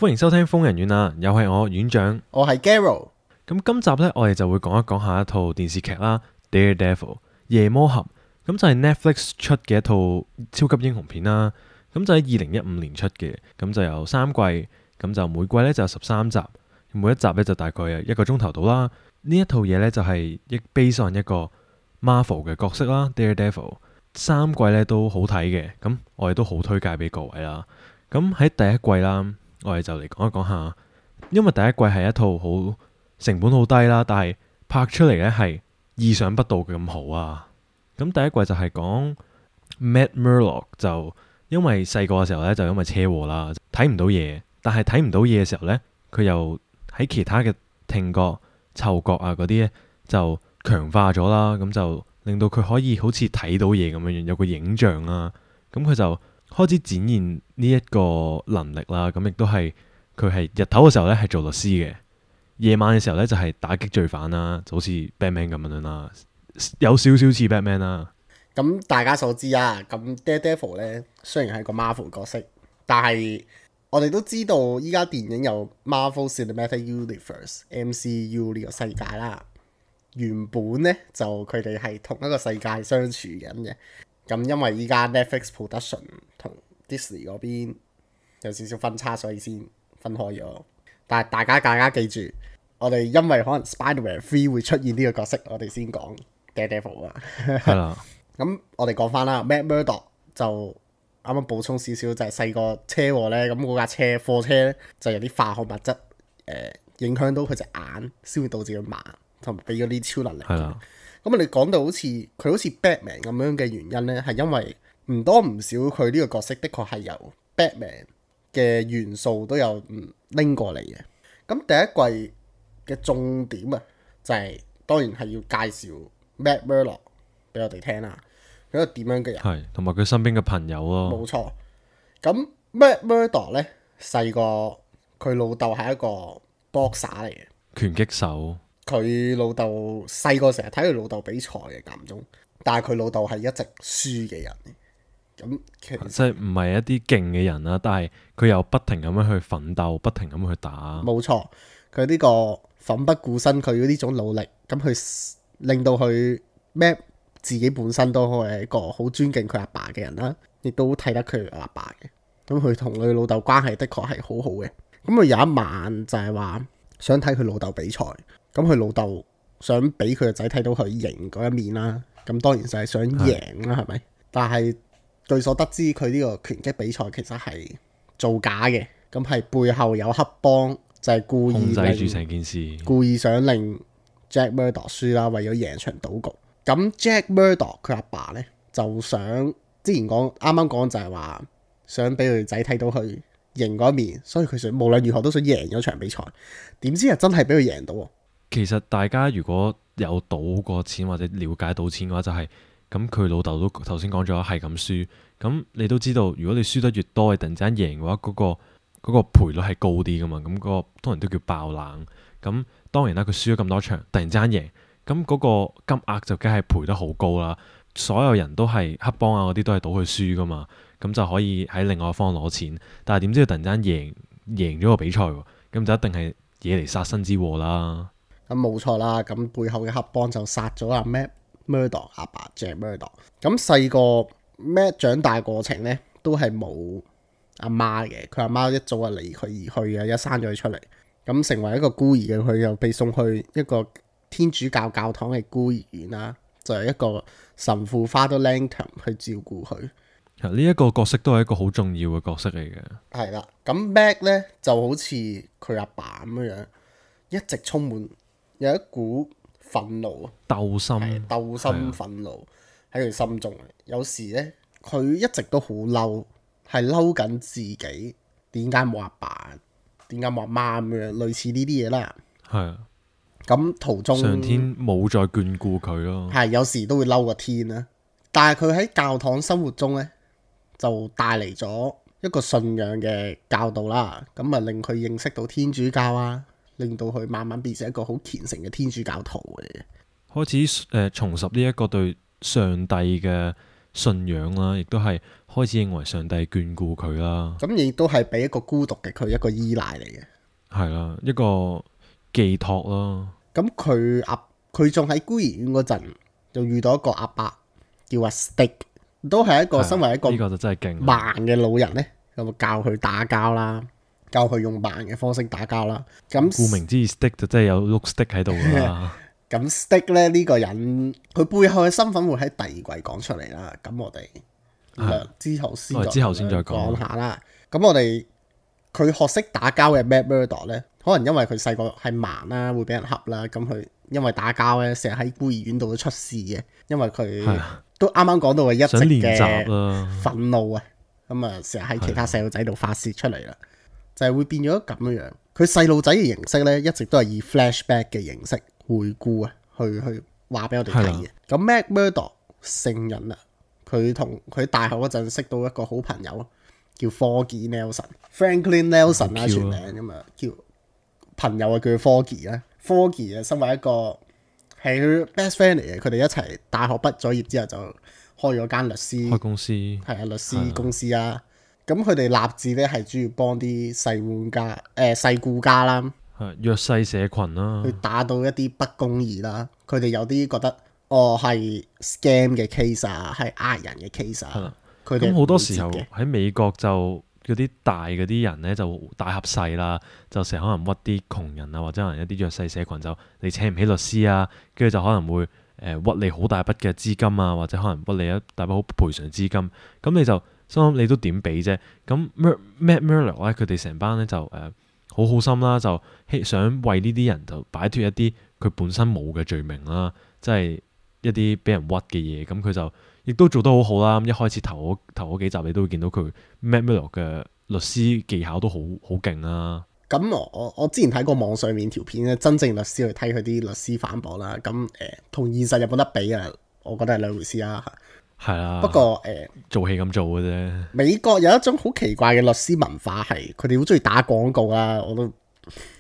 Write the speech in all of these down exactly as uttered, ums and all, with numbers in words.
歡迎收聽瘋人院啊，又係我院長，我係 Garo。咁今集呢，我哋就會講一講下一套電視劇啦，《Daredevil》夜魔俠，咁就係 Netflix 出嘅一套超級英雄片啦。咁就喺二零一五年出嘅，咁就有三季，咁就每季呢就有十三集，每一集呢就大概係一個鐘頭到啦。呢一套嘢呢，就係一 base on 一個 Marvel 嘅角色啦，《Daredevil》三季呢都好睇嘅，咁我哋都好推介俾各位啦。咁喺第一季啦。我哋就嚟講一講下，因為第一季係一套好成本好低啦，但係拍出嚟呢係意想不到嘅咁好啊！咁第一季就係講 Matt Murdock 就因為細個嘅時候呢，就因為車禍啦，睇唔到嘢，但係睇唔到嘢嘅時候呢，佢又喺其他嘅聽覺、嗅覺啊嗰啲呢，就強化咗啦，咁就令到佢可以好似睇到嘢咁樣樣，有個影像啦，咁佢就開始展現呢一個能力啦，咁亦都係佢係日頭嘅時候咧係做律師嘅，夜晚嘅時候咧就係打擊罪犯啦，就好似 Batman 咁樣啦，有少少似 Batman 啦。咁大家所知啊，咁 Daredevil 咧雖然係個 Marvel 角色，但係我哋都知道依家電影有 Marvel Cinematic Universe M C U 呢個世界啦。原本咧就佢哋係同一個世界相處緊嘅。咁因為依家 Netflix Production 同 Disney 嗰邊有少少分叉，所以先分開咗。但係大家大家記住，我哋因為可能 Spider-Man three 會出現呢個角色，我哋先講 Daredevil 啊。係啦。咁我哋講翻啦 Matt Murdock 就啱啱補充少少，就係細個車禍咧，咁嗰架車貨車咧就有啲化學物質誒、呃、影響到佢隻眼，先會導致佢盲，同埋俾咗啲超能力。係啦。咁我哋講到好似佢好似 Batman 咁樣嘅原因咧，係因為唔多唔少佢呢個角色的確係由 Batman 嘅元素都有拎過嚟嘅。咁第一季嘅重點啊，就係、是、當然係要介紹 Matt Murdock 俾我哋聽啦。佢一個點樣嘅人？係同埋佢身邊嘅朋友咯。冇錯。咁 Matt Murdock 咧細個佢老豆係一個 boxer 嚟嘅，拳擊手。佢老豆細個成日睇佢老豆比賽嘅間中，但係佢老豆係一直輸嘅人。咁其實即係唔係一啲勁嘅人啦，但係佢又不停咁樣去奮鬥，不停咁去打。冇錯，佢呢個奮不顧身，佢呢種努力，咁佢令到佢 Matt 自己本身都係一個好尊敬佢阿爸嘅人啦，亦都睇得佢阿爸嘅。咁佢同佢老豆關係的確係好好嘅。咁佢有一晚就係話想睇佢老豆比賽。咁佢老豆想俾佢個仔睇到佢贏嗰一面啦，咁當然就係想贏啦，係咪？但係據所得知，佢呢個拳擊比賽其實係造假嘅，咁係背後有黑幫，就係、是、故意控制住成件事，故意想令 Jack Murdock 輸啦，為咗贏場賭局。咁 Jack Murdock 佢阿爸呢，就想之前講啱啱講就係話想俾佢仔睇到佢贏嗰一面，所以佢想無論如何都想贏咗場比賽。點知係真係俾佢贏到喎！其實大家如果有賭過錢或者了解賭錢嘅話，就係咁佢老豆都頭先講咗係咁輸，咁你都知道，如果你輸得越多，你突然之間贏嘅話，嗰、嗰個嗰、嗰個賠率係高啲噶嘛，咁、嗰、嗰個當然都叫爆冷。咁當然啦，佢輸咗咁多場，突然之間贏，咁嗰個金額就梗係賠得好高啦。所有人都係黑幫啊嗰啲都係賭佢輸噶嘛，咁就可以喺另外一方攞錢。但係點知佢突然間贏贏咗個比賽喎，咁就一定係惹嚟殺身之禍啦。咁冇錯啦，咁背後嘅黑幫就殺咗阿 Matt Murdock 阿爸 Jack Murdock。咁細個 Matt 長大過程咧，都係冇阿媽嘅，佢阿媽一早就離佢而去嘅，一生咗佢出嚟，咁成為一個孤兒嘅佢，又被送去一個天主教教堂嘅孤兒院啦，就係、是、一個神父 Father Langton 去照顧佢。呢一個角色都係一個好重要嘅角色嚟嘅。係啦，咁 Matt 咧就好似佢阿爸咁樣樣，一直充滿有一股憤怒啊，鬥心，鬥心憤怒喺佢心中。有時咧，佢一直都好嬲，係嬲緊自己點解冇阿爸，點解冇阿媽咁樣，類似呢啲嘢啦。係啊，咁途中上天冇再眷顧佢咯。係有時都會嬲個天啦，但係佢喺教堂生活中咧，就帶嚟咗一個信仰嘅教導啦。咁啊，令佢認識到天主教啊。令到佢慢慢變成一個好虔誠嘅天主教徒嘅，開始誒、呃、重拾呢一個對上帝嘅信仰啦，亦都係開始認為上帝眷顧佢啦。咁亦都係俾一個孤獨嘅佢一個依賴嚟嘅。係啦，一個寄託咯。咁佢阿佢仲喺孤兒院嗰陣，就遇到一個阿伯叫阿 Stick，都係一個身為一個呢個就真係勁盲嘅老人咧，咁教佢打交啦，教佢用盲嘅方式打交啦。咁顧名之義 stick 就真係有碌 stick 喺度㗎啦。咁 Stick 咧呢個人，佢背後嘅身份會喺第二季講出嚟啦。咁我哋係之後先我哋之後先再講講下啦。咁我哋佢學識打交嘅 Matt Murdock 咧，可能因為佢細個係盲啦，會俾人恰啦。咁佢因為打交咧，成日喺孤兒院度都出事嘅。因為佢係啊都啱啱講到佢一直想練習嘅啦。憤怒啊，咁啊成日喺其他細路仔度發泄出嚟啦，就係會變咗咁樣樣。佢細路仔嘅形式咧，一直都係以 flashback 嘅形式回顧啊，去去話俾我哋睇嘅。咁 Matt Murdock 成人啦，佢同佢大學嗰陣識到一個好朋友叫 Foggy Nelson，Franklin Nelson 啦全名咁啊，叫朋友啊叫佢 Foggy 啦。Foggy 啊，身為一個係佢 best friend 嚟嘅，佢哋一齊大學畢咗業之後就開咗間律師開公司係啊律師公司啊。咁佢哋立志咧係主要幫啲細玩家誒、呃、細顧家啦，係弱勢社群啦去，打到一啲不公義啦。佢哋有啲覺得哦係 scam 嘅 case 啊，係呃人嘅 case 啊。佢哋咁好多時候唔接嘅喺美國就嗰啲大嗰啲人咧就大合細啦，就成日可能屈啲窮人啊，或者可能一啲弱勢社群就你請唔起律師啊，跟住就可能會誒、呃、屈你好大筆嘅資金啊，或者可能屈你一大筆好賠償資金，咁你就心諗你都點俾啫？咁 Matt Murdock 咧，佢哋成班咧就誒、呃、好好心啦，就希想為呢啲人就擺脫一啲佢本身冇嘅罪名啦，即係一啲俾人屈嘅嘢，咁佢就亦都做得好好啦。咁一開始頭嗰頭嗰幾集你都會見到佢 Matt Murdock 嘅律師技巧都好好勁啦。咁我我我之前睇過網上面條片咧，真正律師去睇佢啲律師反駁啦。咁誒同現實有冇得比啊？我覺得係兩回事啦。係啊，不過誒、呃、做戲咁做嘅啫。美國有一種好奇怪嘅律師文化，係佢哋好中意打廣告啦。我都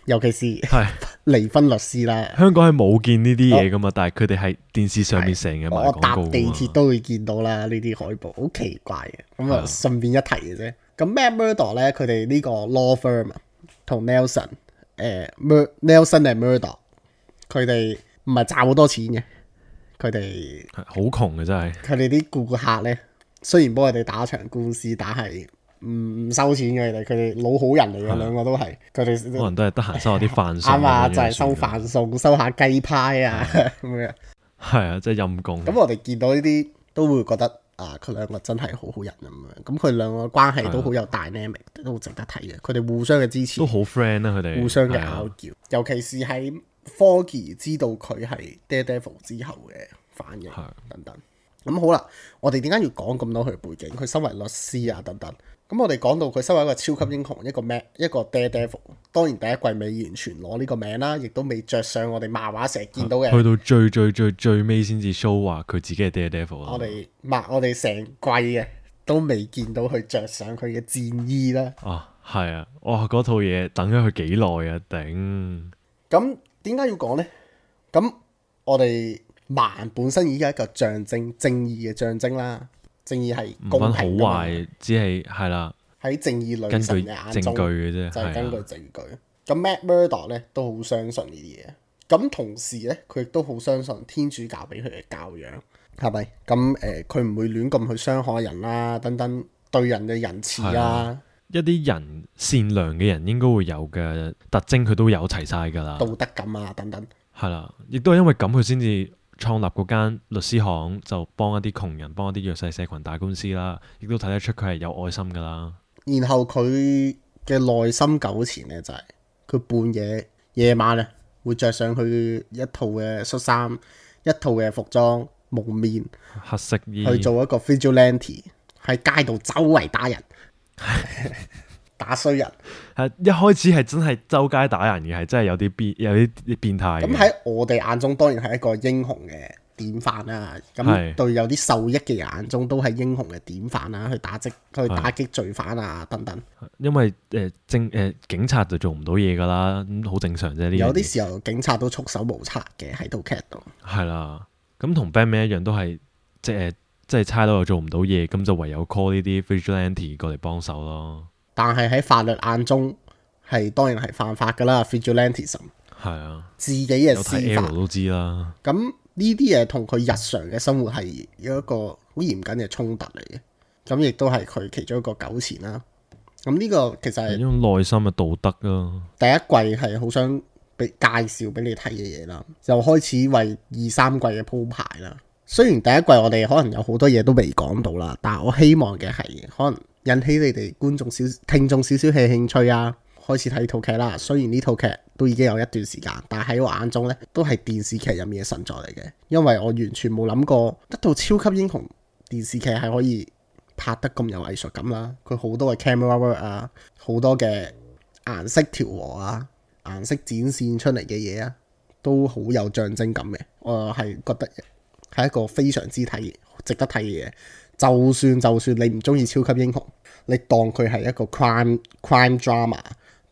尤其是係離婚律師啦。香港係冇見呢啲嘢噶嘛，但係佢哋係電視上面成日賣廣告我搭㗎嘛地鐵都會見到啦，呢啲海報好奇怪嘅。咁啊，順便一提嘅啫。咁 Matt Murdock 咧，佢哋呢個 law firm 啊，同 Nelson 誒、呃、Nelson and Murdock，佢哋唔係賺好多錢嘅。佢哋係好窮嘅真係。佢哋啲顧客咧，雖然幫佢哋打場官司，但係唔唔收錢嘅。佢哋佢哋老好人嚟嘅，兩個都係。佢哋可能都係得閒收下啲飯餸。啱啊，就係、係收飯餸，收下雞派啊咁樣。係啊，真係陰公。咁我哋見到呢啲都會覺得啊，佢兩個真係好好人咁樣。咁佢兩個關係都好有 dynamic，都好值得睇嘅。佢哋互相嘅支持，都好 friend 啦，佢哋互相嘅係啊拗撬，尤其是喺 Foggy 知道佢係 Daredevil 之後嘅反應等等。咁好啦，我哋點解要講咁多佢嘅背景？佢身為律師啊等等。咁我哋講到佢身為一個超級英雄，一個 Matt 一個 Daredevil，當然第一季未完全攞呢個名啦，亦都未着上我哋漫畫成日見到嘅。去到最最最最尾先至 show 話佢自己係 Daredevil 啦。我哋漫我哋成季嘅都未見到佢着上佢嘅戰衣啦。啊，係啊，哇！嗰套嘢等咗佢幾耐啊，頂！咁點解要講呢？咁我哋漫本身已經係一個象徵正義嘅象徵啦，正義係公唔分好平㗎嘛，壞，只係係啦，喺正義女根據神嘅眼中證據嘅啫，就係根據係啊，證據。咁 Matt Murdock 咧都好相信呢啲嘢，咁同時咧佢亦都好相信天主教俾佢嘅教養，係咪？咁誒佢唔會亂咁去傷害人啦，等等對人嘅仁慈啊係啊，一啲人善良嘅人應該會有嘅特徵，佢都有齊晒㗎啦。道德感啊等等。係啦，亦都係因為咁，佢先至創立嗰間律師行，就幫一啲窮人、幫一啲弱勢社群打官司啦。亦都睇得出佢係有愛心㗎啦。然後佢嘅內心糾纏咧，就係、是、佢半夜夜晚啊，會着上佢一套嘅恤衫、一套嘅服裝、蒙面黑色衣去做一個 vigilante，喺街度周圍打人。打衰人，係一開始係真係周街打人嘅，係真係有啲變有啲變態嘅。咁喺我哋眼中當然係一個英雄嘅典範啦。咁係對有啲受益嘅人眼中都係英雄嘅典範啦，去打擊去打擊罪犯啊等等。因為誒政誒警察就做唔到嘢㗎啦，咁好正常啫。呢有啲時候警察都束手無策嘅喺套劇度。係啦，咁同 Batman 一樣都係即係即係差佬又做唔到嘢，咁就唯有 call 呢啲 vigilante 過嚟幫手咯。但係喺法律眼中係當然係犯法㗎啦 vigilantism。係啊，自己嘅有睇司法 Arrow 都知啦。咁呢啲嘢同佢日常嘅生活係有一個好嚴謹嘅衝突嚟嘅。咁亦都係佢其中一個糾纏啦。咁呢個其實係呢種內心嘅道德咯。第一季係好想俾介紹俾你睇嘅嘢啦，就開始為二三季嘅鋪排啦。雖然第一季我哋可能有好多嘢都未講到啦，但係我希望嘅係可能引起你哋觀眾少聽眾少少嘅興趣啊，開始睇套劇啦。雖然呢套劇都已經有一段時間，但係喺我眼中呢都係電視劇入面嘅神作嚟嘅，因為我完全冇諗過一套超級英雄電視劇係可以拍得咁有藝術感啦。佢好多嘅 camera work 啊，好多嘅顏色調和啊，顏色展現出嚟嘅嘢啊，都好有象徵感嘅。我係覺得係一個非常之睇值得睇嘅嘢。就算就算你唔中意超級英雄，你當佢係一個 crime crime drama，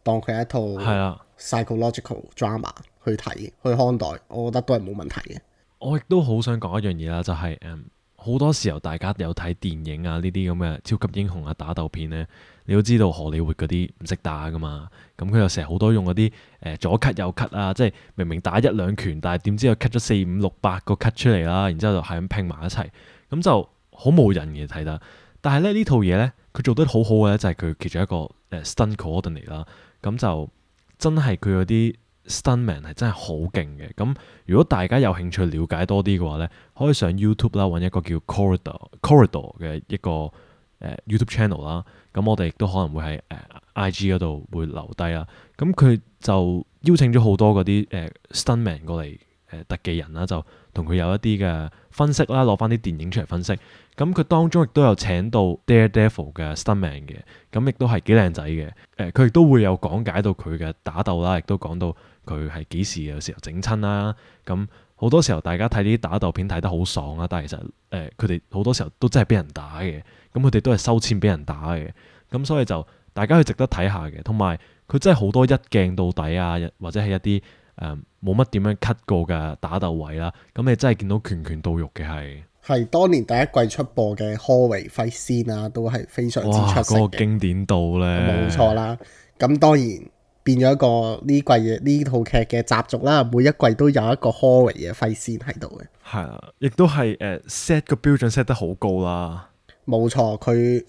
當佢係一套係啊 psychological drama 去睇去看待，我覺得都係冇問題嘅。我亦都好想講一樣嘢啦，就係誒好多時候大家有睇電影啊，呢啲咁嘅超級英雄啊打鬥片呢，你都知道荷里活嗰啲唔識打噶嘛，咁佢又成日好多用嗰啲誒左 cut 右 cut 啊，即係明明打一兩拳，但係點知又 cut 咗四五六八個 cut 出嚟啦，然之後就係咁拼埋一齊，咁就好冇癮嘅睇得。但係咧呢套嘢呢，佢做得好好嘅咧，就係佢其中一個誒 stunt coordinator 啦，咁就真係佢嗰啲 stuntman 係真係好勁嘅。咁如果大家有興趣了解多啲嘅話呢，可以上 YouTube 啦，揾一個叫 Corridor Corridor 嘅一個誒、呃、YouTube channel 啦。咁我哋亦都可能會喺誒、呃、I G 嗰度會留低啦。咁佢就邀請咗好多嗰啲誒 stuntman 過嚟誒、呃、特技人啦，就同佢有一啲嘅分析啦，攞翻啲電影出嚟分析。咁佢當中亦都有請到 Daredevil 嘅 stuntman 嘅，咁亦都係幾靚仔嘅。誒、呃，佢亦都會有講解到佢嘅打鬥啦，亦都講到佢係幾時有時候整親啦。咁好多時候大家睇呢啲打鬥片睇得好爽啦，但係其實誒佢哋好多時候都真係俾人打嘅。咁佢哋都係收錢俾人打嘅。咁所以就大家去值得睇下嘅。同埋佢真係好多一鏡到底啊，或者係一啲誒冇乜點樣 cut 過嘅打鬥位啦。咁你真係見到拳拳到肉嘅係。係當年第一季出播嘅 Hallway Fight Scene 啊，都係非常之出色嘅。哇！嗰個經典度咧，冇錯啦。咁當然變咗一個呢季嘅呢套劇嘅習俗啦，每一季都有一個 Hallway 嘅 Fight Scene 喺度嘅。係啊，亦都係誒 set 個標準 set 得好高啦。冇錯，佢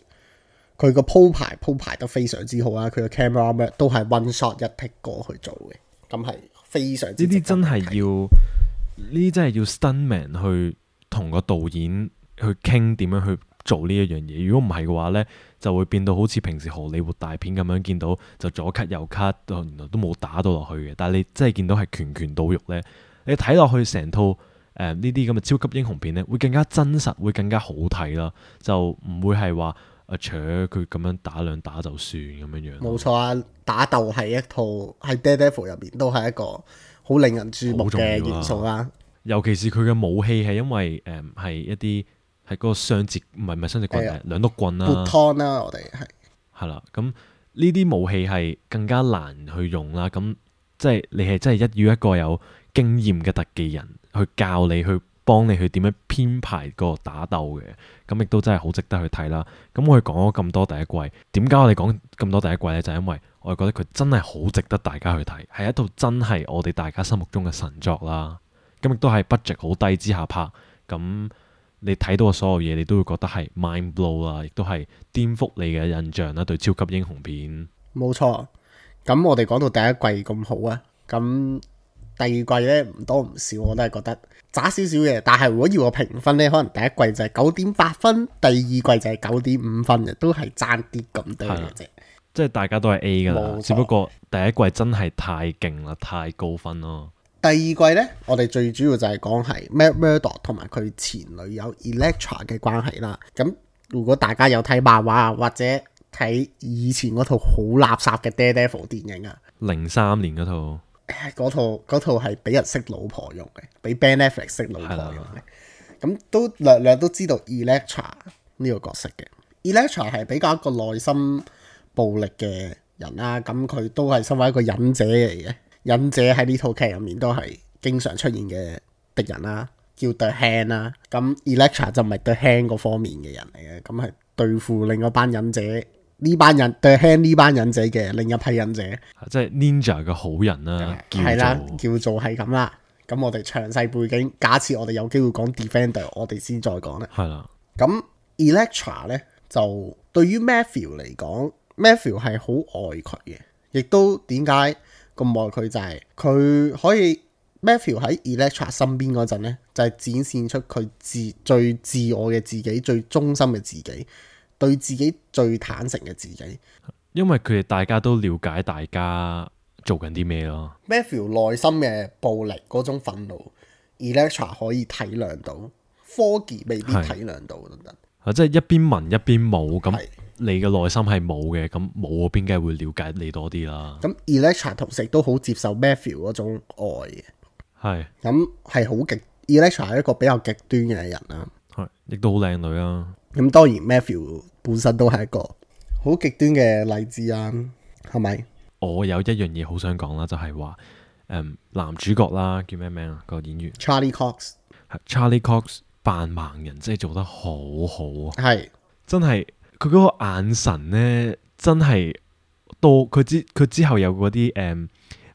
佢個鋪排鋪排得非常之好啦。佢個 camera work 都係 one shot 一 take 過去做嘅，咁係非常之。呢啲真係要，呢啲真係要 stuntman 去同個導演去傾點樣去做呢一樣嘢。如果唔係嘅話呢，就會變到好似平時荷里活大片咁樣，見到就左 cut 右 cut，原來都冇打到落去嘅。但係你真係見到係拳拳到肉呢，你睇落去成套誒呢啲咁嘅超級英雄片呢，會更加真實，會更加好睇啦。就唔會係話啊，除佢咁樣打兩打就算咁樣樣。冇錯啊，打鬥係一套喺 Daredevil 入邊都係一個好令人注目嘅元素啦。尤其是佢嘅武器係因為誒係、呃、一啲係嗰個雙節唔係唔係雙節棍，係兩碌棍啦。撥湯啦，我哋係係啦。咁呢啲武器係更加難去用啦。咁即係你係真係一要一個有經驗嘅特技人去教你去幫你去點樣編排個打鬥嘅。咁亦都真係好值得去睇啦。咁我哋講咗咁多第一季，點解我哋講咁多第一季呢？就係、因為我哋覺得佢真係好值得大家去睇，係一套真係我哋大家心目中嘅神作啦。咁亦都係 budget 好低之下拍，咁你睇到嘅所有嘢，你都會覺得係 mind blow 啦，亦都係顛覆你嘅印象啦。對超級英雄片，冇錯。咁我哋講到第一季咁好啊，咁第二季呢唔多唔少，我都係覺得渣少少嘅。但係如果要我評分呢，可能第一季就係九點八分，第二季就係九點五分嘅，都係爭啲咁多嘅啫。即係大家都係 A 噶啦，只不過第一季真係太勁啦，太高分咯。第二季呢，我哋最主要就係講係 Matt Murdock 同埋佢前女友 Elektra 嘅關係啦。咁如果大家有睇漫畫或者睇以前嗰套好垃圾嘅 Daredevil 電影啊，零三年嗰套，嗰套嗰套係俾人識老婆用嘅，俾 Ben Affleck 識老婆用嘅。咁都略略都知道 Elektra 呢個角色嘅。Elektra 係比較一個內心暴力嘅人啦，咁佢都係身為一個忍者嚟嘅。忍者喺呢套劇入面都係經常出現嘅敵人啦。叫 The Hand 啦。咁 Elektra 就唔係 The Hand 嗰方面嘅人嚟嘅，咁係對付另一班忍者，呢班人 The Hand 呢班忍者嘅另一批忍者，即係 Ninja 嘅好人啦，係啦，叫做叫做係咁啦。咁我哋詳細背景，假設我哋有機會講 Defender，我哋先再講啦。係啦，咁 Elektra 咧就對於 Matthew 嚟講，Matthew 係好愛佢嘅，亦都點解咁愛佢就係、是、佢可以 Matthew 喺 Elektra 身邊嗰陣咧，就係、是、展現出佢自最自我嘅自己，最忠心嘅自己，對自己最坦誠嘅自己。因為佢哋大家都了解大家做緊啲咩咯。Matthew 內心嘅暴力嗰種憤怒 ，Elektra 可以體諒到，科技未必體諒到等等。啊，即係一邊文一邊武咁。係你嘅內心係冇嘅，咁冇嗰邊梗係會了解你多啲啦。咁 Elektra 同時都好接受 Matthew 嗰種愛嘅，係咁係好極 Elektra 係一個比較極端嘅人啦。係，亦都好靚女啊。咁當然 Matthew 本身都係一個好極端嘅例子啊，係咪？我有一樣嘢好想講啦，就係話誒男主角啦，叫咩名啊？個演員 Charlie Cox 係 Charlie Cox 扮盲人，真係做得好好啊！係真係佢嗰個眼神呢，真係到佢之佢之後有嗰啲誒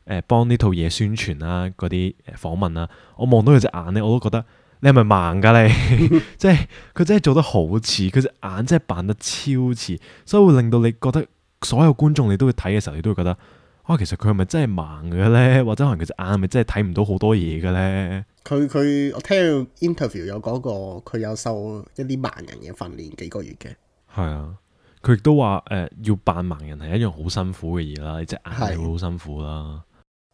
誒幫呢套嘢宣傳啦，嗰啲誒訪問啦，我望到佢隻眼呢，我都覺得你係咪盲㗎你？即係佢真係做得好似，佢隻眼真係扮得超似，所以會令到你覺得所有觀眾你都會睇嘅時候，你都會覺得啊，其實佢係咪真係盲嘅呢？或者可能佢隻眼係咪真係睇唔到好多嘢嘅呢？佢佢我聽到 interview 有講過，佢有受一啲盲人嘅訓練幾個月嘅。係啊，佢亦都話誒，要扮盲人係一樣好辛苦嘅嘢啦，你隻眼係會好辛苦啦。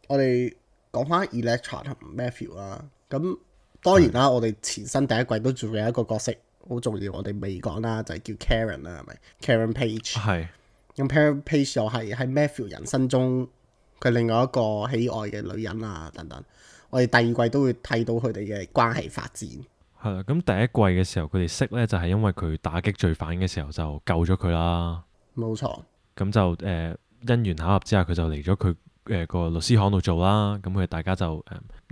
我哋講翻 Elektra 同 Matthew 啦，咁當然啦，我哋前身第一季都仲有一個角色好重要，我哋未講啦，就係、是、叫 Karen 啦，係咪 Karen Page？係咁 Karen Page 又係喺 Matthew 人生中佢另外一個喜愛嘅女人啊，等等。我哋第二季都會睇到佢哋嘅關係發展。係啦，咁第一季嘅時候佢哋識呢，就係因為佢打擊罪犯嘅時候就救咗佢啦。冇錯。咁就誒、呃、因緣巧合之下，佢就嚟咗佢誒個律師行度做啦。咁佢哋大家就誒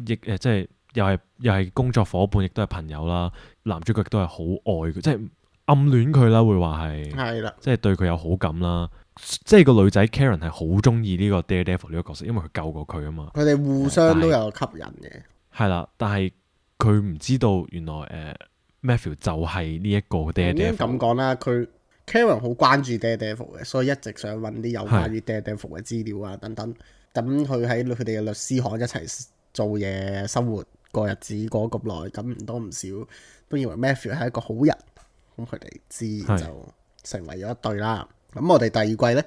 亦誒即係又係又係工作伙伴，亦都係朋友啦。男主角亦都係好愛佢，即係暗戀佢啦，會話係係啦，即係對佢有好感啦。即係個女仔 Karen 係好中意呢個 Daredevil 呢個角色，因為佢救過佢啊嘛。佢哋互相都有吸引嘅。係啦，但係佢唔知道原來誒、呃、Matthew 就係呢一個 Daredevil。咁講啦，佢 Karen 好關注 Daredevil 嘅，所以一直想揾啲有關於 Daredevil 嘅資料啊等等。咁佢喺佢哋嘅律師行一齊做嘢、生活過日子過咁耐，咁唔多唔少都認為 Matthew 係一個好人。咁佢哋自然就成為咗一對啦。咁我哋第二季呢，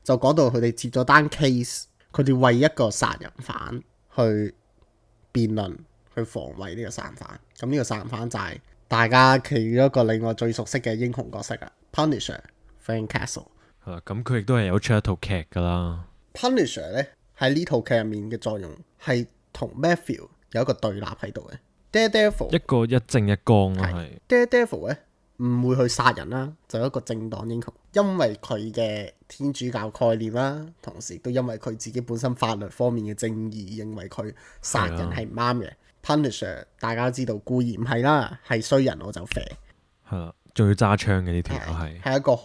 就講到佢哋接咗單 case，佢哋為一個殺人犯去辯論，去防衛呢個殺人犯。咁呢個殺人犯就係大家其中一個令我最熟悉嘅英雄角色啊 ，Punisher Frank Castle。係啦，咁佢亦都係有出一套劇噶啦。Punisher 呢喺呢套劇入面嘅作用係同 Matthew 有一個對立喺度嘅。Daredevil 一個一正一剛咯，係 Daredevil 呢唔會去殺人啦，就係一個正當英雄，因為佢嘅天主教概念啦，同時都因為佢自己本身法律方面嘅正義，認為佢殺人係唔啱嘅。Punisher 大家都知道固然唔係啦，係衰人我就肥，係啦，仲要揸槍嘅呢條友係係一個好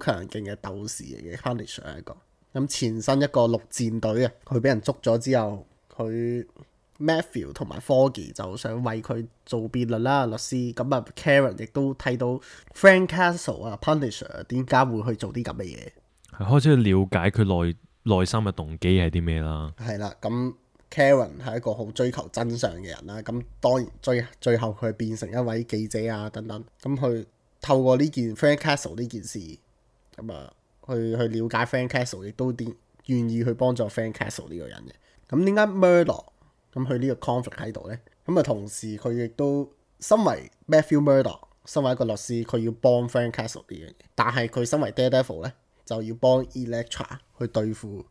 強勁嘅鬥士嚟嘅。Punisher 係一個咁前身一個陸戰隊啊，佢俾人捉咗之後，佢 Matthew 同埋科技就想為佢做辯論啦，律師咁啊 Karen 亦都睇到 Frank Castle 啊 Punisher 點解會去做啲咁嘅嘢，係開始去了解佢內內心嘅動機係啲咩啦。係啦，咁 Karen 係一個好追求真相嘅人啦，咁當然最最後佢變成一位記者啊等等，咁佢透過呢件 Frank Castle 呢件事咁啊去去了解 Frank Castle， 亦都啲願意去幫助 Frank Castle 呢個人嘅。咁點解 Murdoch 咁佢呢個 conflict 喺度呢？咁啊同時佢亦都身為 Matthew Murdoch， 身為一個律師，佢要幫 Frank Castle 呢樣嘢，但係佢身為 Daredevil 呢，就要幫 Elektra 去對付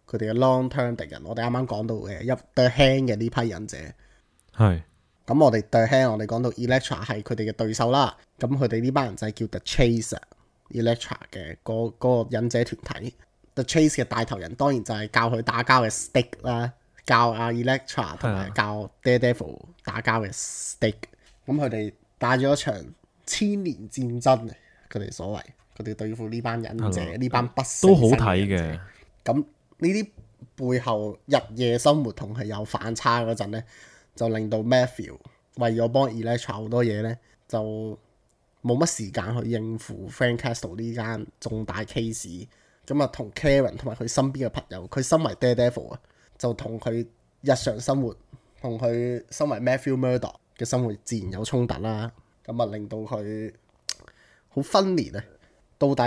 佢哋嘅 long term 敵人。我哋啱啱講到嘅一 The Hand 嘅呢批忍者，係咁我哋 The Hand 我哋講到 Elektra 係佢哋嘅對手啦。咁佢哋呢班人就係叫 The Chase，Elektra 嘅嗰嗰個忍者團體。The Chase 嘅帶頭人當然就係教佢打交嘅 Stick 啦，教阿 Elektra 同埋教 Daredevil 打交嘅 Stick。咁佢哋打咗一場千年戰爭啊！佢哋所謂佢哋對付呢班忍者，呢班不死都好睇嘅。咁呢啲背後日夜生活同係有反差嗰陣咧，就令到 Matthew 為咗幫 Elektra 好多嘢咧，就冇乜時間去應付 Frank Castle 呢間重大 case。咁啊，同 Karen 同埋佢身邊嘅朋友，佢身為 Daredevil 啊，就同佢日常生活同佢身為 Matthew Murdock 嘅生活自然有衝突啦。咁啊，令到佢好分裂啊！到底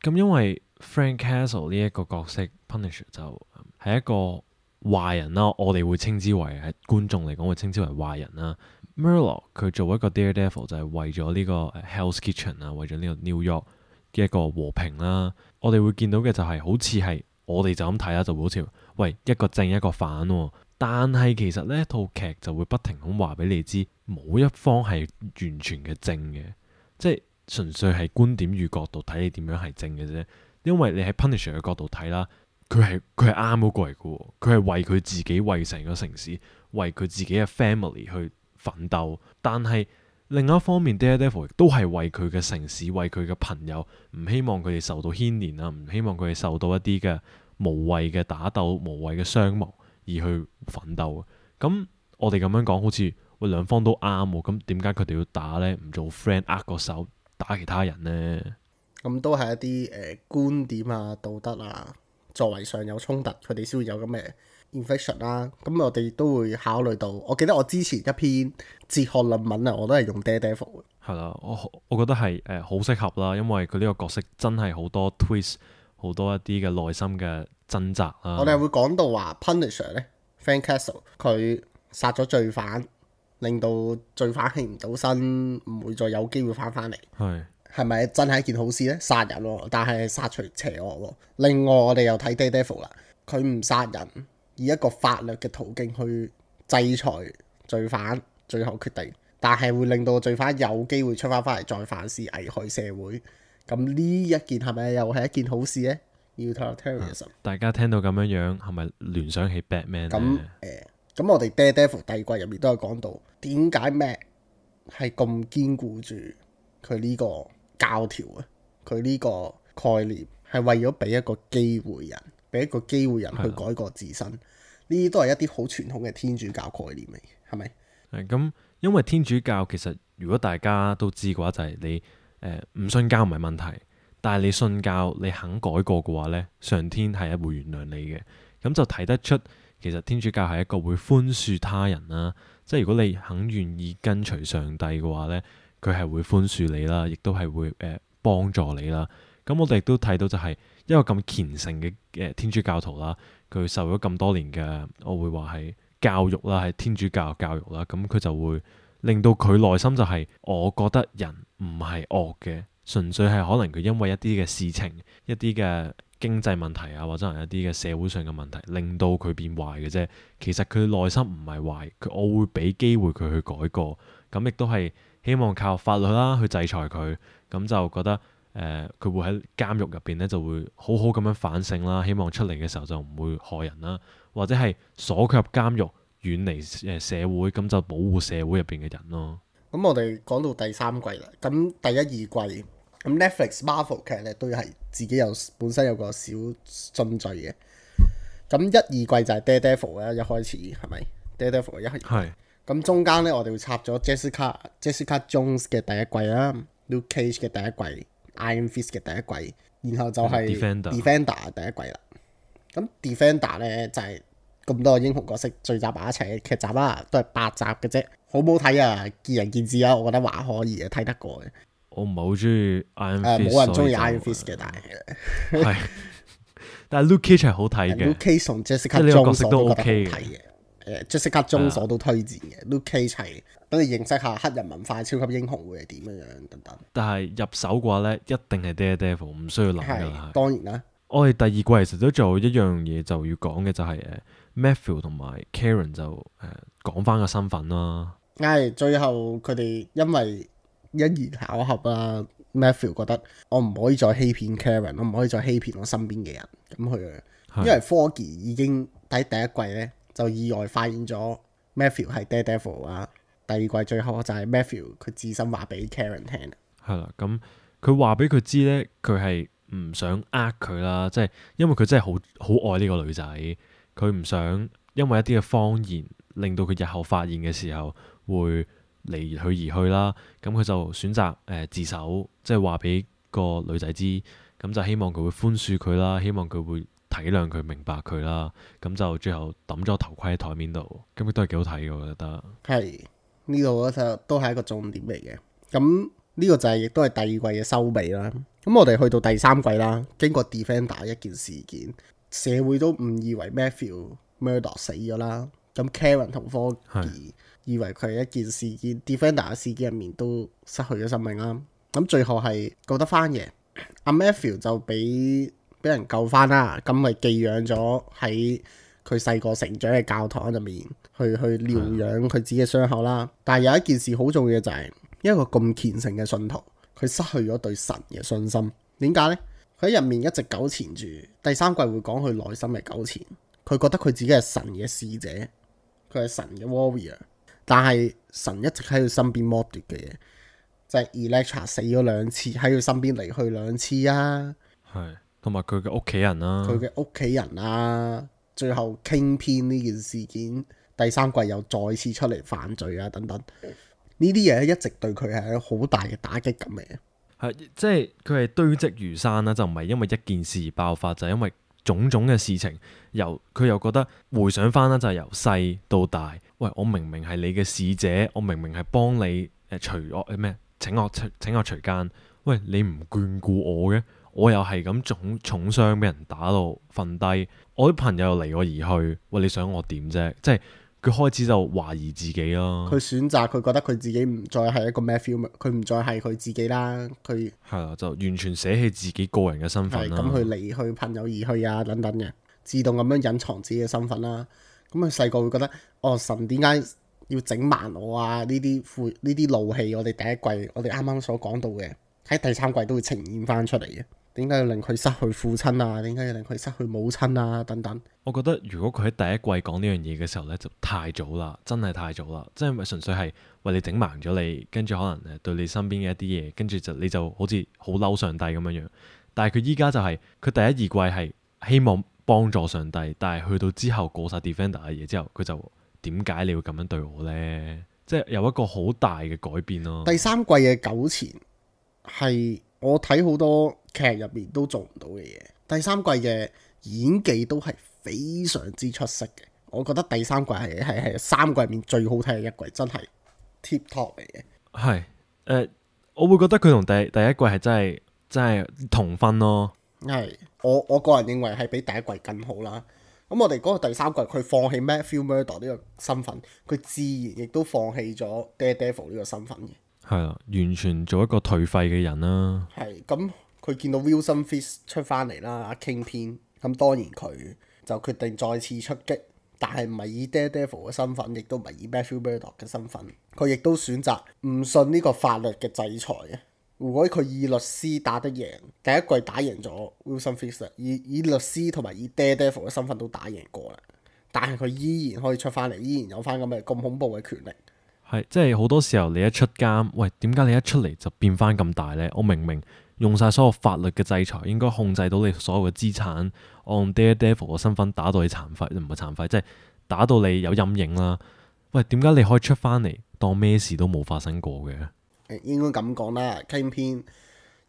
咁因為 Frank Castle 呢一個角色 Punisher 就係一個壞人啦，我哋會稱之為係觀眾嚟講會稱之為壞人啦。Murdock 佢做一個 Daredevil 就係為咗呢個 Hell's Kitchen 啊，為咗呢個 New York 嘅一個和平啦。我哋會見到嘅就係、是、好似係我哋就咁睇啦，就會好似喂一個正一個反喎、哦。但係其實呢套劇就會不停咁話俾你知，冇一方係完全嘅正嘅，即係純粹係觀點與角度睇你點樣係正嘅啫。因為你喺 Punisher 嘅角度睇啦，佢係佢係啱嗰個嚟嘅喎，佢係為佢自己、為成個城市、為佢自己嘅 family 去奮鬥。但係另一方面 Daredevil 亦都係為佢嘅城市、為佢嘅朋友，唔希望佢哋受到牽連啊，唔希望佢哋受到一啲嘅無謂嘅打鬥、無謂嘅傷亡而去奮鬥。咁我哋咁樣講，好似喂兩方都啱喎，咁點解佢哋要打呢？唔做 friend 握個手打其他人呢？咁都係一啲誒、呃、觀點啊、道德啊，作為上有衝突，佢哋先會有咁嘅 infection 啦。咁我哋都會考慮到，我記得我之前一篇哲學論文啊，我都係用 Daredevil 嘅。係啦，我我覺得係誒好適合啦，因為佢呢個角色真係好多 twist，好多一啲嘅內心嘅掙扎啦。我哋會講到話 Punisher 咧 ，Frank Castle 佢殺咗罪犯，令到罪犯起唔到身，唔會再有機會翻返嚟。係係咪真係一件好事呢？殺人喎，但係殺除邪惡喎。另外我哋又睇 Daredevil 啦，佢唔殺人，以一個法律嘅途徑去制裁罪犯，最後決定，但係會令到罪犯有機會出翻返嚟再犯事，危害社會。咁呢一件係咪又係一件好事呢？Utilitarianism，大家聽到咁樣樣係咪聯想起 Batman 咁呢？誒，咁我哋 Daredevil 第二季入面都有講到，點解 Matt 係咁堅固住佢呢個教條啊？佢呢個概念係為咗俾一個機會人，俾一個機會人去改過自身。呢啲都係一啲好傳統嘅天主教概念嚟，係咪？係咁，因為天主教其實如果大家都知嘅話，就係、是、你誒唔、呃、信教唔係問題，但係你信教你肯改過嘅話呢，上天係會原諒你嘅。咁就睇得出其實天主教係一個會寬恕他人啦，即係如果你肯願意跟隨上帝嘅話呢，佢係會寬恕你啦，亦都係會誒、呃、幫助你啦。咁我哋亦都睇到就係一個咁虔誠嘅誒天主教徒啦，佢受咗咁多年嘅，我會話係教育啦，係天主教教育啦，咁佢就會令到佢內心就係、是，我覺得人唔係惡嘅，純粹係可能佢因為一啲嘅事情、一啲嘅經濟問題啊，或者係一啲嘅社會上嘅問題，令到佢變壞嘅啫。其實佢內心唔係壞，佢我會俾機會佢去改過，咁亦都係希望靠法律啦去制裁佢，咁就覺得。誒佢、呃、會喺監獄入邊咧就會好好咁樣反省啦，希望出嚟嘅時候就唔會害人啦，或者係鎖佢入監獄，遠離誒社會，咁就保護社會入邊嘅人咯。咁我哋講到第三季啦，咁第一二季咁 Netflix Marvel 劇咧都係自己有本身有個小順序嘅。咁一二季就係 Daredevil 啦，一開始係咪 Daredevil 一開始？係。咁中間咧我哋會插咗 Jessica Jessica Jones 嘅第一季啦 ，Luke Cage 嘅第一季。Iron Fist 嘅第一季，然後就係 Defender, Defender 第一季啦。咁 Defender 咧就係、是、咁多個英雄角色聚集埋一齊嘅劇集啦，都係八集嘅啫，好唔好睇啊？見仁見智啊，我覺得還可以嘅，睇得過嘅。我唔係好中意 Iron Fist，冇人中意 Iron Fist 嘅，但係係，但係 Luke Cage 係好睇嘅。Luke Cage 同 Jessica Jones 都 OK 嘅。誒 Jessica Jones 我都推薦嘅 Luke Cage 係等你認識下黑人文化、超級英雄會係點樣樣等等。但係入手嘅話咧，一定係 Daredevil，唔需要諗㗎啦。當然啦，我哋第二季其實都做一樣嘢就要講嘅就係誒 Matthew 同埋 Karen 就誒、呃、講翻個身份啦。係最後佢哋因為因緣巧合啦 ，Matthew 覺得我唔可以再欺騙 Karen，我唔可以再欺騙我身邊嘅人。咁佢因為科技已經喺第一季咧。就意外發現咗 Matthew 係 Daredevil 啊，第二季最後就係 Matthew 佢自身話俾 Karen 聽。係啦，咁佢話俾佢知咧，佢係唔想呃佢啦，即係因為佢真係好好愛呢個女仔，佢唔想因為一啲嘅謊言令到佢日後發現嘅時候會離佢而去啦。咁佢就選擇誒、呃、自首，即係話俾個女仔知，咁就希望佢會寬恕佢啦，希望佢會體諒佢、明白佢啦。咁就最後抌咗頭盔喺台面度，咁亦都係幾好睇嘅，我覺得。係呢度就都係一個重點嚟嘅。咁呢個就係亦都係第二季嘅收尾啦。咁我哋去到第三季啦，經過 Defender 一件事件，社會都誤以為 Matthew Murdoch 死咗啦。咁 Karen 同 Foggy 以為佢係一件事件，Defender 嘅事件入面都失去咗生命啦。咁最後係救得翻嘅，阿 Matthew 就俾俾人救翻啦。咁咪寄養咗喺佢細個成長嘅教堂入面，去去療養佢自己嘅傷口啦。但係有一件事好重要嘅就係、是，一個咁虔誠嘅信徒，佢失去咗對神嘅信心。點解呢？佢喺入面一直糾纏住，第三季會講佢內心嘅糾纏。佢覺得佢自己係神嘅使者，佢係神嘅 warrior， 但係神一直喺佢身邊剝奪嘅嘢，就係、是、Elektra 死咗兩次，喺佢身邊離去兩次啊。係，同埋佢嘅屋企人啦，佢嘅屋企人啊，最後傾偏呢件事件，第三季又再次出嚟犯罪啊，等等。呢啲嘢一直對佢係好大嘅打擊咁嘅。係即係佢係堆積如山啦，就唔係因為一件事而爆發，就係、因為種種嘅事情。由佢又覺得回想翻啦，就係由細到大。喂，我明明係你嘅使者，我明明係幫你誒除惡咩？請惡請惡除奸。喂，你唔眷顧我嘅，我又係咁重重傷俾人打到瞓低，我啲朋友又離我而去。喂，你想我點啫？即係。佢開始就懷疑自己咯。佢選擇，佢覺得佢自己唔再係一個 Matthew，佢唔再係佢自己啦。佢係啦，就完全捨棄自己個人嘅身份啦。咁佢離去朋友而去啊，等等嘅，自動咁樣隱藏自己嘅身份啦。咁佢細個會覺得，哦，神點解要整盲我啊？呢啲負呢啲怒氣，我哋第一季我哋啱啱所講到嘅，喺第三季都會呈現翻出嚟嘅。點解要令佢失去父親啊？點解要令佢失去母親啊？等等。我覺得如果佢喺第一季講呢樣嘢嘅時候呢，就太早啦，真係太早啦。即係咪純粹係為你整盲咗你，跟住可能誒對你身邊嘅一啲嘢，跟住就你就好似好嬲上帝咁樣樣。但係佢依家就係、是、佢第一二季係希望幫助上帝，但係去到之後過晒 Defender 嘅嘢之後，佢就點解你要咁樣對我呢？即係有一個好大嘅改變咯。第三季嘅糾纏係我睇好多劇入面都做唔到嘅嘢。第三季嘅演技都係非常之出色嘅。我覺得第三季係係係三季入面最好睇嘅一季，真係 tip top 嚟嘅。係誒、呃，我會覺得佢同第第一季係真係真係同分咯。係我我個人認為係比第一季更好啦。咁我哋嗰個第三季佢放棄 Matthew Murdoch 呢個身份，佢自然亦都放棄咗 Daredevil 呢個身份嘅。係啦，完全做一個頹廢嘅人啦。係咁，佢見到 Wilson Fisk 出翻嚟啦，阿 Kingpin，咁當然佢就決定再次出擊，但係唔係以 Daredevil 嘅身份，亦都唔係以 Matthew Murdoch 嘅身份，佢亦都選擇唔信呢個法律嘅制裁嘅。如果佢以律師打得贏，第一季打贏咗 Wilson Fisk，以以律師同埋以 Daredevil 嘅身份都打贏過啦，但係佢依然可以出翻嚟，依然有翻咁嘅咁恐怖嘅權力。係，即係好多時候你一出監，喂，點解你一出嚟就變翻咁大呢？我明明用晒所有法律嘅制裁，應該控制到你所有嘅資產，按 Daredevil 嘅身份打到你殘廢，唔係殘廢，即係打到你有陰影啦。喂，點解你可以出翻嚟當咩事都冇發生過嘅？誒，應該咁講啦，Kingpin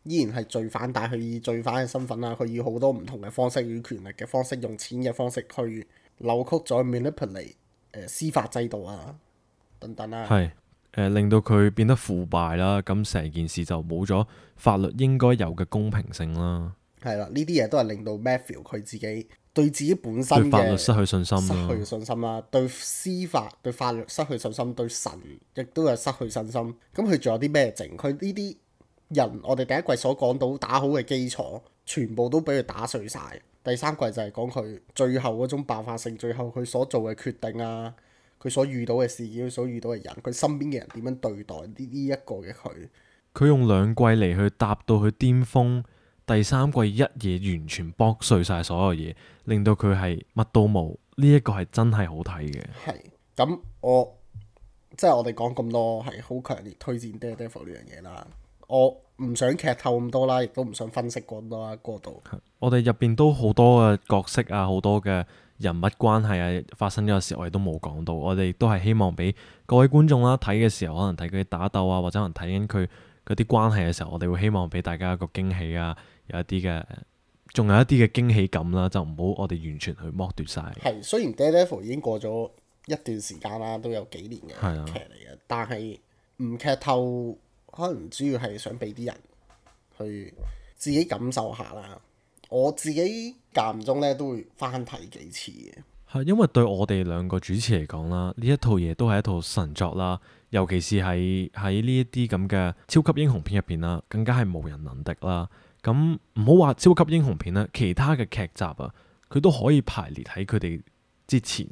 依然係罪犯，但係佢以罪犯嘅身份啦，佢以好多唔同嘅方式，以權力嘅方式，用錢嘅方式去扭曲咗 manipulate 誒司法制度啊。等等啦，係誒、呃、令到佢變得腐敗啦，咁成件事就冇咗法律應該有嘅公平性啦。係啦，呢啲嘢都係令到 Matthew 佢自己對自己本身嘅對法律失去信心啦，失去信心啦，對司法對法律失去信心，對神亦都係失去信心。咁佢仲有啲咩剩？佢呢啲人，我哋第一季所講到打好嘅基礎，全部都俾佢打碎晒。第三季就係講佢最後嗰種爆發性，最後佢所做嘅決定啊。佢所遇到嘅事件，佢所遇到嘅人，佢身邊嘅人點樣對待呢呢一個嘅佢？佢用兩季嚟去搭到佢巔峰，第三季一嘢完全剝碎晒所有嘢，令到佢係乜都冇。呢、這、一個係真係好睇嘅。係咁，我即係我哋講咁多係好強烈推薦 Daredevil 呢樣嘢啦。我唔想劇透咁多啦，亦都唔想分析咁多啦，過度。我哋入邊都好多嘅角色啊，好多嘅人物關係啊，發生咗嘅時候我哋都冇講到。我哋都係希望俾各位觀眾啦睇嘅時候，可能睇佢打鬥啊，或者可能睇緊佢嗰啲關係嘅時候，我哋會希望俾大家一個驚喜啊，有一啲嘅，仲有一啲嘅驚喜感啦，就唔好我哋完全去剝奪晒。係，雖然 Daredevil 已經過咗一段時間啦，都有幾年嘅劇嚟嘅，但係唔劇透，可能主要係想俾啲人去自己感受下啦。我自己間唔中咧都會翻睇幾次嘅。係因為對我哋兩個主持嚟講啦，呢一套嘢都係一套神作啦，尤其是係喺呢一啲咁嘅超級英雄片入邊啦，更加係無人能敵啦。咁唔好話超級英雄片啦，其他嘅劇集啊，佢都可以排列喺佢哋之前。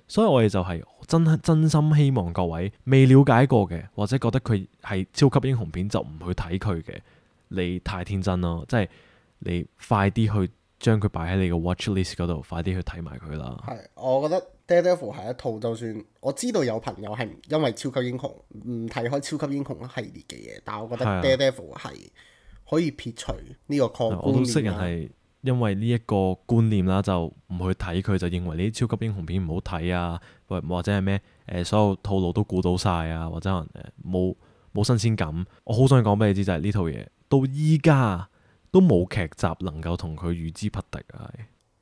所以我哋就係真真心希望各位未了解過嘅，或者覺得佢係超級英雄片就唔去睇佢嘅，你太天真咯！即係你快啲去將佢擺喺你個 watch list 嗰度，快啲去睇埋佢啦。係，我覺得 Daredevil 係一套，就算我知道有朋友係因為超級英雄唔睇開超級英雄系列嘅嘢，但係我覺得 Daredevil 係可以撇除呢個概念。我都識人係因為呢一個觀念啦，就唔去睇佢，就認為呢啲超級英雄片唔好睇啊，或或者係咩誒所有套路都估到晒啊，或者可能誒冇冇新鮮感。我好想講俾你知就係呢套嘢到依家都冇劇集能夠同佢與之匹敵啊！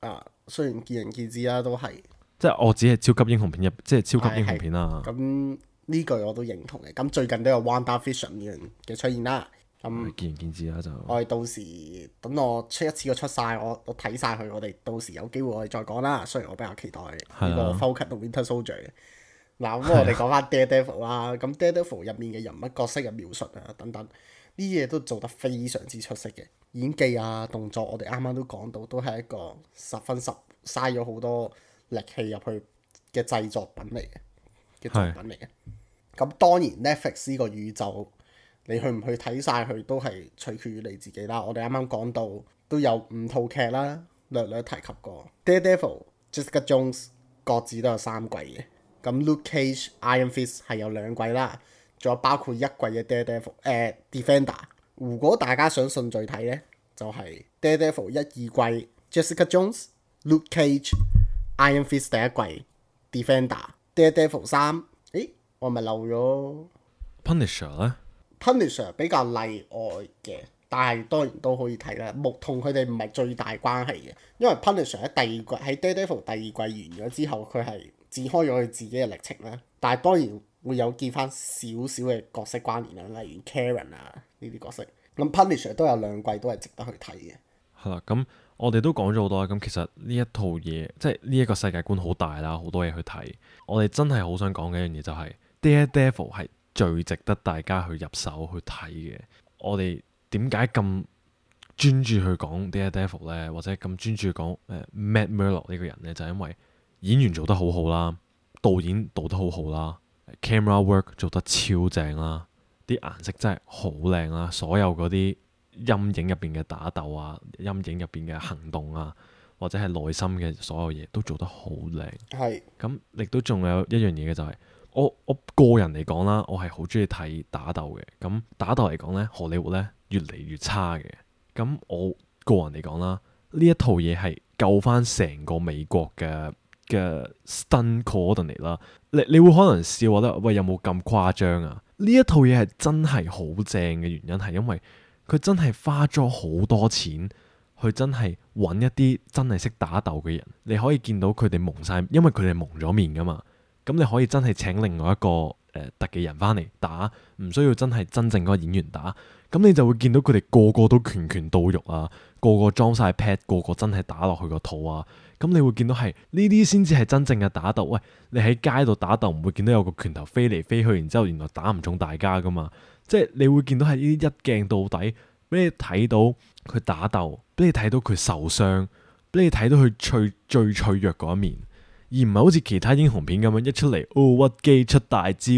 啊，雖然見仁見智啦，都係即係我只係超級英雄片入，即係超級英雄片啦。咁呢句我都認同嘅。咁最近都有 WandaVision 呢樣嘅出現啦。咁見仁見智啦，就我哋到時等我出一次過出晒，我我睇晒佢，我哋到時有機會我哋再講啦。雖然我比較期待呢個 Falcon 同 Winter Soldier 嘅。嗱，咁我哋講翻 Daredevil 啦。咁 Daredevil 入面嘅人物角色嘅描述啊，等等呢啲嘢都做得非常之出色嘅。演技啊，動作，我哋啱啱都講到，都係一個十分十嘥咗好多力氣入去嘅製作品嚟嘅嘅作品嚟嘅。咁當然 Netflix 呢個宇宙，你去唔去睇晒佢都係取決於你自己啦。我哋啱啱講到都有五套劇啦，略略提及過 Daredevil、Jessica Jones 各自都有三季嘅。咁 Luke Cage、Iron Fist 係有兩季啦，仲有包括一季嘅 Daredevil 誒、呃、Defender。如果大家想順序睇呢，就係、是、Daredevil 一二季 Jessica Jones、Luke Cage、Iron Fist 第一季 Defender、Daredevil 三。誒，我咪漏咗 Punisher 咧。Punisher 比較例外嘅，但係當然都可以睇啦。木同佢哋唔係最大關係嘅，因為 Punisher 喺第二季喺 Daredevil 第二季完咗之後，佢係展開咗佢自己嘅歷程啦。但係當然會有見翻少少嘅角色關聯啦，例如 Karen 啊呢啲角色。咁 Punisher 都有兩季都係值得去睇嘅。係啦，咁我哋都講咗好多啦。咁其實呢一套嘢，即係呢一個世界觀好大啦，好多嘢去睇。我哋真係好想講嘅一樣嘢就係 Daredevil 係最值得大家去入手去睇嘅。我哋點解咁專注去講 Daredevil 咧，或者咁專注去講誒 Matt Murdock 呢個人咧？就係因為演員做得好好啦，導演導得好好啦 ，camera work 做得超正啦，啲顏色真係好靚啦，所有嗰啲陰影入邊嘅打鬥啊，陰影入邊嘅行動啊，或者係內心嘅所有嘢都做得好靚。係咁亦都仲有一樣嘢嘅就係、是。我我個人嚟講啦，我係好中意睇打鬥嘅。咁打鬥嚟講呢，荷里活呢越嚟越差嘅。咁我個人嚟講啦，呢一套嘢係救翻成個美國嘅嘅 stunt coordinator 啦。你你會可能笑覺得喂，有冇咁誇張啊？呢一套嘢係真係好正嘅原因係因為佢真係花咗好多錢去真係揾一啲真係識打鬥嘅人。你可以見到佢哋蒙晒，因為佢哋蒙咗面噶嘛。咁你可以真係請另外一個誒、呃、特技人翻嚟打，唔需要真係真正嗰個演員打。咁你就會見到佢哋個個都拳拳到肉啊，個個裝晒 pad，個個真係打落去個肚啊。咁你會見到係呢啲先至係真正嘅打鬥。喂，你喺街度打鬥唔會見到有個拳頭飛嚟飛去，然之後原來打唔中大家噶嘛。即係你會見到係呢啲一鏡到底，俾你睇到佢打鬥，俾你睇到佢受傷，俾你睇到佢脆最脆弱嗰一面。而唔係好似其他英雄片咁樣一出嚟，哦屈機出大招，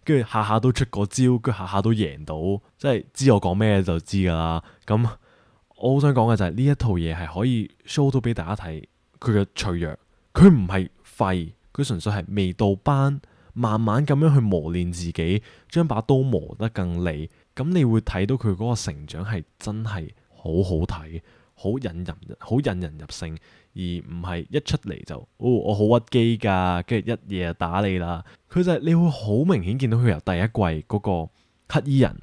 跟住下下都出個招，跟住下下都贏到，即係知我講咩就知㗎啦。咁我好想講嘅就係呢一套嘢係可以 show 到俾大家睇佢嘅脆弱，佢唔係廢，佢純粹係未到班慢慢咁樣去磨練自己，將把刀磨得更利。咁你會睇到佢嗰個成長係真係好好睇，好引人，好引人入勝，而唔係一出嚟就哦我好屈機㗎，跟住一嘢就打你啦。佢就係、你會好明顯見到佢由第一季嗰個黑衣人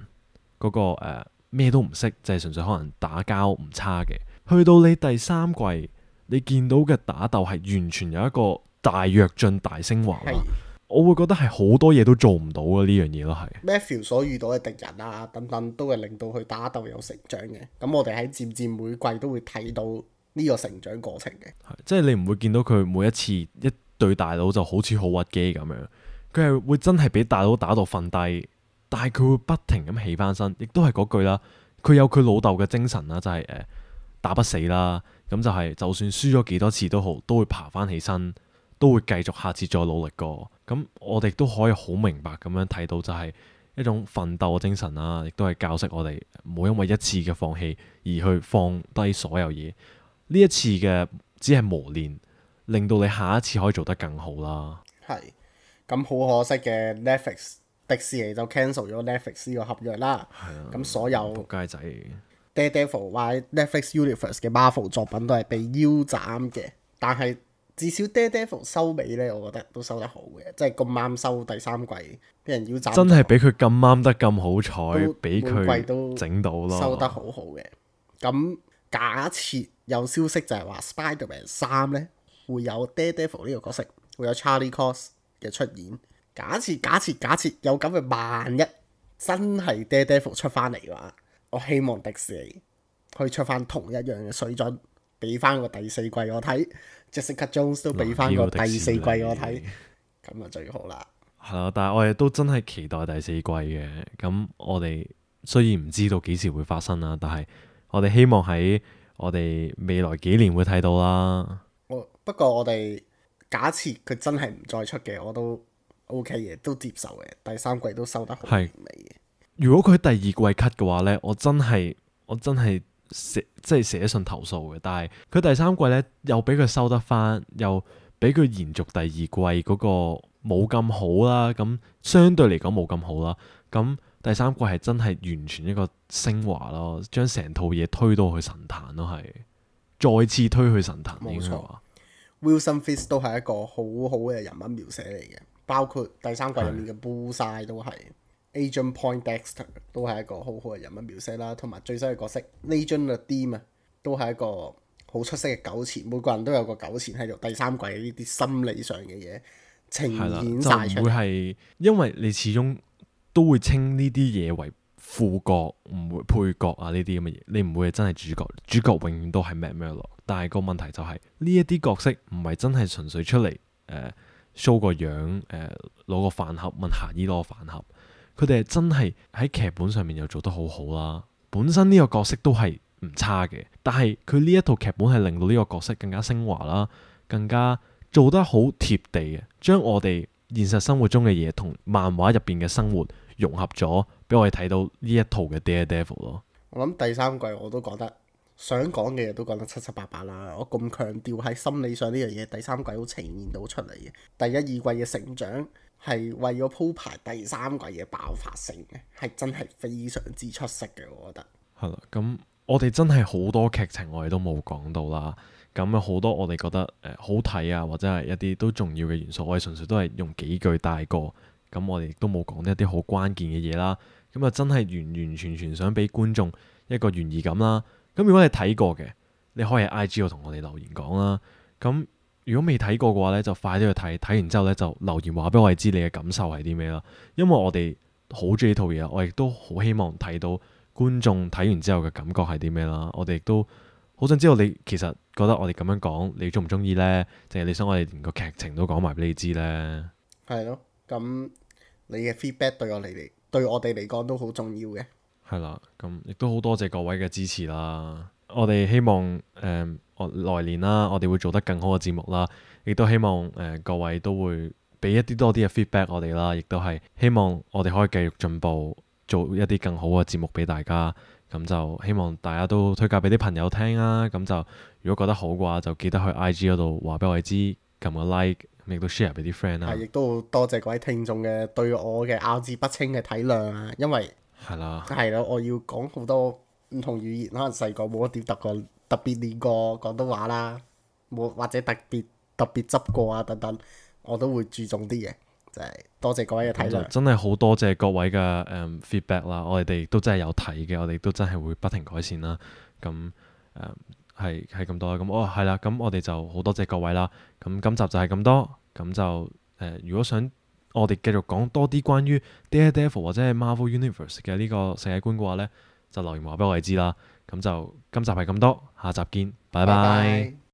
嗰、個誒咩、都唔識，就係、純粹可能打交唔差嘅，去到你第三季，你見到嘅打鬥係完全有一個大躍進、大升華啦。係我會覺得係好多嘢都做唔到嘅呢樣嘢咯，係。 Matthew 所遇到嘅敵人啊等等，都係令到佢打鬥有成長嘅。咁我哋喺漸漸每季都會睇到呢個成長過程嘅。係即係你唔會見到佢每一次一對大佬就好似好屈機咁樣，佢係會真係俾大佬打到瞓低，但係佢會不停咁起翻身，亦都係嗰句啦。佢有佢老豆嘅精神啦，就係、誒、打不死啦。咁就係就算輸咗幾多次都好，都會爬翻起身，都會繼續下次再努力過。咁我哋都可以好明白咁樣睇到，就係一種奮鬥嘅精神啦，亦都係教識我哋唔好因為一次嘅放棄而去放低所有嘢。呢一次嘅只係磨練，令到你下一次可以做得更好啦。係咁好可惜嘅 Netflix 迪士尼就 cancel 咗 Netflix 呢個合約啦。咁、啊、所有仆街仔 Daredevil 或者 Netflix Universe 嘅 Marvel 作品都係被腰斬嘅，但係至少 Daredevil 收尾咧，我覺得都收得好嘅，即係咁啱收第三季俾人腰斬，真係俾佢咁啱得咁好彩，俾每季都佢整到咯，收得好好嘅。咁假設有消息就係話 Spider-Man 三咧會有 Daredevil 呢個角色，會有 Charlie Cox 嘅出現。假設假設假設有咁嘅萬一真係 Daredevil 出翻嚟嘅話，我希望迪士尼可以出翻同一樣嘅水準，俾翻個第四季我睇。Jessica Jones 都俾翻個第四季我睇，咁啊最好啦。係啦，但係我哋都真係期待第四季嘅。咁我哋雖然唔知道幾時會發生啦，但係我哋希望喺我哋未來幾年會睇到啦。我不過我哋假設佢真係唔再出嘅，我都 OK 嘅，都接受嘅。第三季都收得好完美嘅。如果佢第二季 cut 嘅話呢，我真係我真係寫即係寫信投訴嘅。但係佢第三季呢，又俾佢收得翻，又俾佢延續第二季嗰個冇咁好啦。咁相對嚟講冇咁好啦。咁第三季係真係完全一個升華咯，將成套嘢推到去神壇咯，係再次推去神壇。應該話 Wilson Fisk 都係一個好好嘅人物描寫嚟嘅，包括第三季入面嘅 Bullseye 都係。Agent Poindexter 都係一個好好嘅人物描寫啦，同埋最新嘅角色 Legion Nadim 啊，都係一個好出色嘅糾纏，每個人都有個糾纏喺度。第三季呢啲心理上嘅嘢呈現晒出嚟，就唔會係因為你始終都會稱呢啲嘢為副角，唔會配角啊呢啲咁嘅嘢，你唔會係真係主角，主角永遠都係 Matt Murdock。但係個問題就係呢一啲角色唔係真係純粹出嚟誒 show 個樣，誒、呃、攞個飯盒問霞姨攞個飯盒。佢哋係真係喺劇本上面又做得好好啦，本身呢個角色都係唔差嘅，但係佢呢一套劇本係令到呢個角色更加升華啦，更加做得好貼地嘅，將我哋現實生活中嘅嘢同漫畫入邊嘅生活融合咗，俾我哋睇到呢一套嘅 Daredevil 咯。我諗第三季我都覺得想講嘅嘢都講得七七八八啦。我咁強調喺心理上呢樣嘢，第三季好呈現到出嚟嘅。第一二季嘅成長係為咗鋪排第三季嘅爆發性嘅，係真係非常之出色嘅，我覺得。係啦，咁我哋真係好多劇情我哋都冇講到啦。咁有好多我哋覺得誒、呃、好睇啊，或者係一啲都重要嘅元素，我哋純粹都係用幾句帶過。咁我哋亦都冇講一啲好關鍵嘅嘢啦。咁啊真係完完全全想俾觀眾一個懸疑感啦。咁如果你睇過嘅，你可以喺 I G 度同我哋留言講啦。咁如果未睇過嘅話咧，就快啲去睇，睇完之後咧就留言話俾我哋知你嘅感受係啲咩啦。因為我哋好中意呢套嘢，我亦都好希望睇到觀眾睇完之後嘅感覺係啲咩啦。我哋亦都好想知道你其實覺得我哋咁樣講，你中唔中意呢？定係你想我哋連個劇情都講埋俾你知呢？係咯，咁你嘅 feedback 對我哋嚟，對我哋嚟講都好重要嘅。係啦，咁亦都好多謝各位嘅支持啦。我哋希望誒。呃我來年啦，我哋會做得更好嘅節目啦，亦都希望誒、呃、各位都會俾一啲多啲嘅 feedback 我哋啦，亦都係希望我哋可以繼續進步，做一啲更好嘅節目俾大家。咁就希望大家都推介俾啲朋友聽啦。咁就如果覺得好嘅話，就記得去 I G 嗰度話俾我哋知，撳個 like，亦都 share 俾啲 friend 啦係，。亦都好多謝各位聽眾嘅對我嘅咬字不清嘅體諒啊，因為係啦，係咯，我要講好多唔同語言，可能細個冇一點特過特別練過廣東話啦，冇或者特別特別執過啊等等，我都會注重啲嘅，就係、多謝各位嘅體諒。咁就真係好多謝各位嘅誒、嗯 feedback 啦，我哋哋都真係有睇嘅，我哋都真係會不停改善啦。咁誒係係咁多啦。咁哦係啦，咁我哋就好多謝各位啦。咁今集就係咁多，咁就誒、呃、如果想我哋繼續講多啲關於 Daredevil 或者係 Marvel Universe 嘅呢個世界觀嘅話呢，就留言話俾我哋知啦。咁就今集係咁多，下集見，拜拜。拜拜。